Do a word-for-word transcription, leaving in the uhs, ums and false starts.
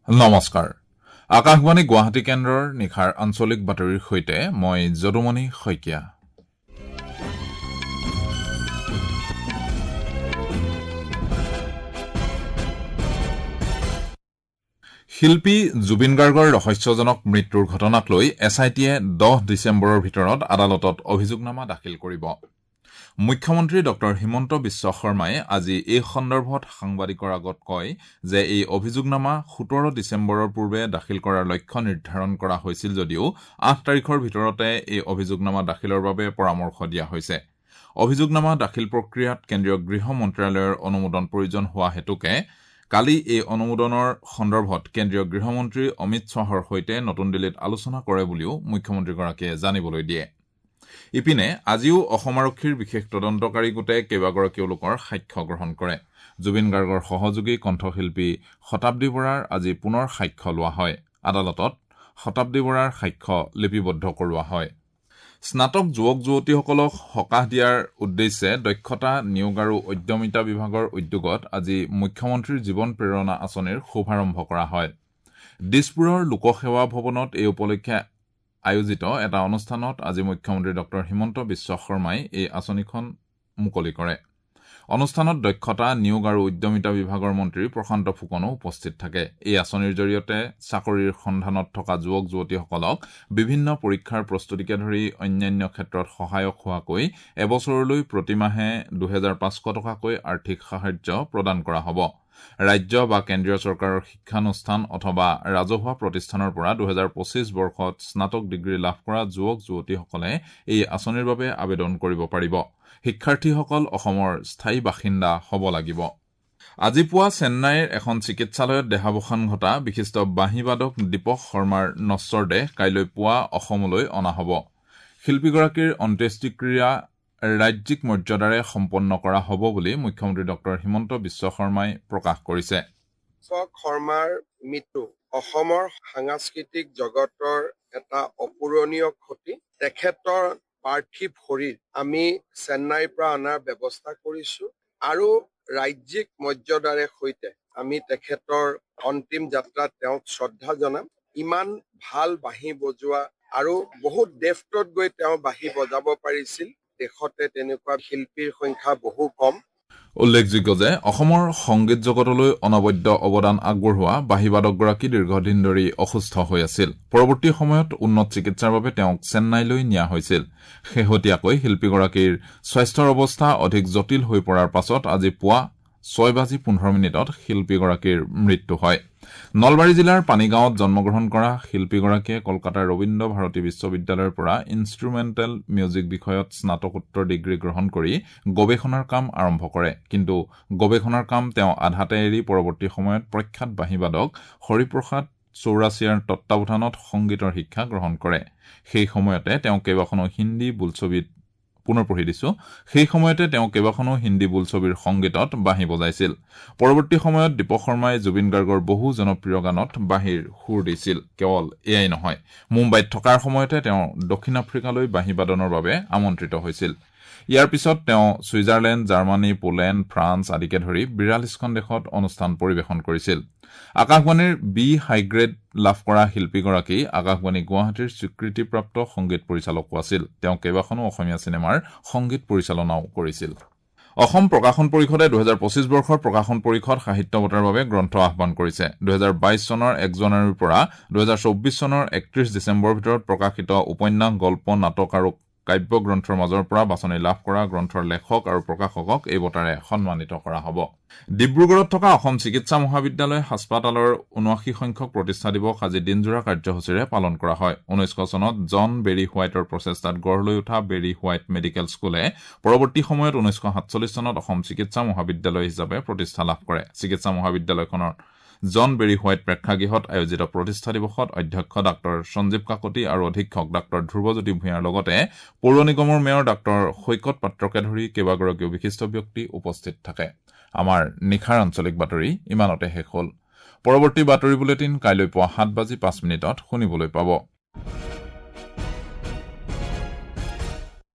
নমস্কাৰ, আকাশবাণী গুৱাহাটী কেন্দ্ৰৰ নিশাৰ আঞ্চলিক বাতৰিৰ সৈতে মই যদুমণি শইকীয়া। শিল্পী জুবিন গাৰ্গৰ ৰহস্যজনক মৃত্যুৰ ঘটনাক লৈ এছ I টিয়ে দহ ডিচেম্বৰৰ ভিতৰত আদালতত অভিযোগনামা দাখিল কৰিব। মুখ্যমন্ত্ৰী ডক্টৰ হিমন্ত বিশ্ব শৰ্মাই আজি এই সন্দৰ্ভত সাংবাদিকৰ আগত কয় যে এই অভিযোগনামা সোতৰ ডিচেম্বৰৰ পূৰ্বে দাখিল কৰাৰ লক্ষ্য নিৰ্ধাৰণ কৰা হৈছিল যদিও আঠ তাৰিখৰ ভিতৰতে এই অভিযোগনামা দাখিলৰ বাবে পৰামৰ্শ দিয়া হৈছে। অভিযোগনামা দাখিল প্ৰক্ৰিয়াত কেন্দ্ৰীয় গৃহ মন্ত্ৰালয়ৰ অনুমোদন প্ৰয়োজন হোৱা হেতুকে কালি এই অনুমোদনৰ সন্দৰ্ভত কেন্দ্ৰীয় গৃহমন্ত্ৰী অমিত শ্বাহৰ সৈতে নতুন দিল্লীত আলোচনা কৰে বুলিও মুখ্যমন্ত্ৰীগৰাকীয়ে জানিবলৈ দিয়ে। ইপিনে আজিও অসম আৰক্ষীৰ বিশেষ তদন্তকাৰী গোটে কেইবাগৰাকীও লোকৰ সাক্ষ্য গ্ৰহণ কৰে। জুবিন গাৰ্গৰ সহযোগী কণ্ঠশিল্পী শতাব্দী বৰাৰ আজি পুনৰ সাক্ষ্য লোৱা হয়। আদালতত শতাব্দী বৰাৰ সাক্ষ্য লিপিবদ্ধ কৰোৱা হয়। স্নাতক যুৱক যুৱতীসকলক সকাহ দিয়াৰ উদ্দেশ্যে দক্ষতা, নিয়োগ আৰু উদ্যমিতা বিভাগৰ উদ্যোগত আজি মুখ্যমন্ত্ৰীৰ জীৱন প্ৰেৰণা আঁচনিৰ শুভাৰম্ভ কৰা হয়। দিছপুৰৰ লোকসেৱা ভৱনত এই উপলক্ষে আয়োজিত এটা অনুষ্ঠানত আজি মুখ্যমন্ত্ৰী ডক্টৰ হিমন্ত বিশ্ব শৰ্মাই এই আঁচনিখন মুকলি কৰে। অনুষ্ঠানত দক্ষতা, নিয়োগ আৰু উদ্যমিতা বিভাগৰ মন্ত্ৰী প্ৰশান্ত ফুকনো উপস্থিত থাকে। এই আঁচনিৰ জৰিয়তে চাকৰিৰ সন্ধানত থকা যুৱক যুৱতীসকলক বিভিন্ন পৰীক্ষাৰ প্ৰস্তুতিকে ধৰি অন্যান্য ক্ষেত্ৰত সহায়ক হোৱাকৈ এবছৰলৈ প্ৰতিমাহে দুহেজাৰ পাঁচশ টকাকৈ আৰ্থিক সাহায্য প্ৰদান কৰা হ'ব। ৰাজ্য বা কেন্দ্ৰীয় চৰকাৰৰ শিক্ষানুষ্ঠান অথবা ৰাজহুৱা প্ৰতিষ্ঠানৰ পৰা দুহেজাৰ পঁচিছ বৰ্ষত স্নাতক ডিগ্ৰী লাভ কৰা যুৱক যুৱতীসকলে এই আঁচনিৰ বাবে আবেদন কৰিব পাৰিব। শিক্ষাৰ্থীসকল অসমৰ স্থায়ী বাসিন্দা হ'ব লাগিব। আজি পুৱা চেন্নাইৰ এখন চিকিৎসালয়ত দেহাৱসান ঘটা বিশিষ্ট বাঁহীবাদক দীপক শৰ্মাৰ নশ্বৰ দেহ কাইলৈ পুৱা অসমলৈ অনা হ'ব। শিল্পীগৰাকীৰ অন্ত্যেষ্টিক্ৰিয়া ৰাজ্যিক মৰ্যাদাৰে সম্পন্ন কৰা হ'ব বুলি মুখ্যমন্ত্ৰী ডক্টৰ হিমন্ত বিশ্ব শৰ্মাই প্ৰকাশ কৰিছে। দীপক শৰ্মাৰ মৃত্যু অসমৰ সাংস্কৃতিক জগতৰ এটা অপূৰণীয় ক্ষতি। তেখেতৰ পাৰ্থিৱ শৰীৰ আমি চেন্নাইৰ পৰা অনাৰ ব্যৱস্থা কৰিছো আৰু ৰাজ্যিক মৰ্যাদাৰে সৈতে আমি তেখেতৰ অন্তিম যাত্ৰাত তেওঁক শ্ৰদ্ধা জনাম। ইমান ভাল বাঁহী বজোৱা আৰু বহুত ডেফটত গৈ তেওঁ বাঁহী বজাব পাৰিছিল। দেশতে তেনেকুৱা শিল্পীৰ সংখ্যা বহু কম। উল্লেখযোগ্য যে অসমৰ সংগীত জগতলৈ অনবদ্য অৱদান আগবঢ়োৱা বাঁহীবাদকগৰাকী দীৰ্ঘদিন ধৰি অসুস্থ হৈ আছিল। পৰৱৰ্তী সময়ত উন্নত চিকিৎসাৰ বাবে তেওঁক চেন্নাইলৈ নিয়া হৈছিল। শেহতীয়াকৈ শিল্পীগৰাকীৰ স্বাস্থ্যৰ অৱস্থা অধিক জটিল হৈ পৰাৰ পাছত আজি পুৱা ছয় বাজি পোন্ধৰ মিনিটত শিল্পীগৰাকীৰ মৃত্যু হয়। নলবাৰী জিলাৰ পানীগাঁৱত জন্মগ্ৰহণ কৰা শিল্পীগৰাকীয়ে কলকাতাৰ ৰবীন্দ্ৰ ভাৰতী বিশ্ববিদ্যালয়ৰ পৰা ইনষ্ট্ৰুমেণ্টেল মিউজিক বিষয়ত স্নাতকোত্তৰ ডিগ্ৰী গ্ৰহণ কৰি গৱেষণাৰ কাম আৰম্ভ কৰে। কিন্তু গৱেষণাৰ কাম তেওঁ আধাতে এৰি পৰৱৰ্তী সময়ত প্ৰখ্যাত বাঁহীবাদক হৰিপ্ৰসাদ চৌৰাছিয়াৰ তত্বাৱধানত সংগীতৰ শিক্ষা গ্ৰহণ কৰে। সেই সময়তে তেওঁ কেইবাখনো হিন্দী বোলছবিত পুনৰ পঢ়ি দিছো সেই সময়তে তেওঁ কেইবাখনো হিন্দী বোলছবিৰ সংগীতত বাঁহী বজাইছিল। পৰৱৰ্তী সময়ত দীপক শৰ্মাই জুবিন গাৰ্গৰ বহু জনপ্ৰিয় গানত বাঁহীৰ সুৰ দিছিল। কেৱল এয়াই নহয়, মুম্বাইত থকাৰ সময়তে তেওঁ দক্ষিণ আফ্ৰিকালৈ বাঁহী বাদনৰ বাবে আমন্ত্ৰিত হৈছিল। ইয়াৰ পিছত তেওঁ ছুইজাৰলেণ্ড, জাৰ্মানী, পোলেণ্ড, ফ্ৰান্স আদিকে ধৰি বিৰাল্লিছখন দেশত অনুষ্ঠান পৰিৱেশন কৰিছিল। আকাশবাণীৰ বি হাইগ্ৰেড লাভ কৰা শিল্পীগৰাকী আকাশবাণী গুৱাহাটীৰ স্বীকৃতিপ্ৰাপ্ত সংগীত পৰিচালকো আছিল। তেওঁ কেইবাখনো অসমীয়া চিনেমাৰ সংগীত পৰিচালনাও কৰিছিল। অসম প্ৰকাশন পৰিষদে দুহেজাৰ পঁচিছ বৰ্ষৰ প্ৰকাশন পৰিষদ সাহিত্য বঁটাৰ বাবে গ্ৰন্থ আহ্বান কৰিছে। দুহেজাৰ বাইছ চনৰ এক জানুৱাৰীৰ পৰা দুহেজাৰ চৌব্বিছ চনৰ একত্ৰিশ ডিচেম্বৰৰ ভিতৰত প্ৰকাশিত উপন্যাস, গল্প, নাটক আৰু কাব্যগ্ৰন্থৰ মাজৰ পৰা বাছনি লাভ কৰা গ্ৰন্থৰ লেখক আৰু প্ৰকাশকক এই বঁটাৰে সন্মানিত কৰা হ'ব। ডিব্ৰুগড়ত থকা অসম চিকিৎসা মহাবিদ্যালয় হাস্পাতালৰ ঊনাশী সংখ্যক প্ৰতিষ্ঠা দিৱস আজি দিনজোৰা কাৰ্যসূচীৰে পালন কৰা হয়। ঊনৈছশ চনত জন বেৰী হোৱাইটৰ প্ৰচেষ্টাত গঢ় লৈ উঠা বেৰী হোৱাইট মেডিকেল স্কুলে পৰৱৰ্তী সময়ত ঊনৈছশ সাতচল্লিছ চনত অসম চিকিৎসা মহাবিদ্যালয় হিচাপে প্ৰতিষ্ঠা লাভ কৰে। চিকিৎসা মহাবিদ্যালয়খনৰ জন বেৰী হোৱাইট প্ৰেক্ষাগৃহত আয়োজিত প্ৰতিষ্ঠা দিৱসত অধ্যক্ষ ডাঃ সঞ্জীৱ কাকতি আৰু অধীক্ষক ডাঃ ধ্ৰুৱজ্যোতি ভূঞাৰ লগতে পৌৰ নিগমৰ মেয়ৰ ডাঃ সৈকত পাত্ৰকে ধৰি কেইবাগৰাকীও বিশিষ্ট ব্যক্তি উপস্থিত থাকে। আমাৰ নিশাৰ আঞ্চলিক বাতৰি ইমানতে শেষ হ'ল। পৰৱৰ্তী বাতৰি বুলেটিন কাইলৈ পুৱা সাত বাজি পাঁচ মিনিটত শুনিবলৈ পাব।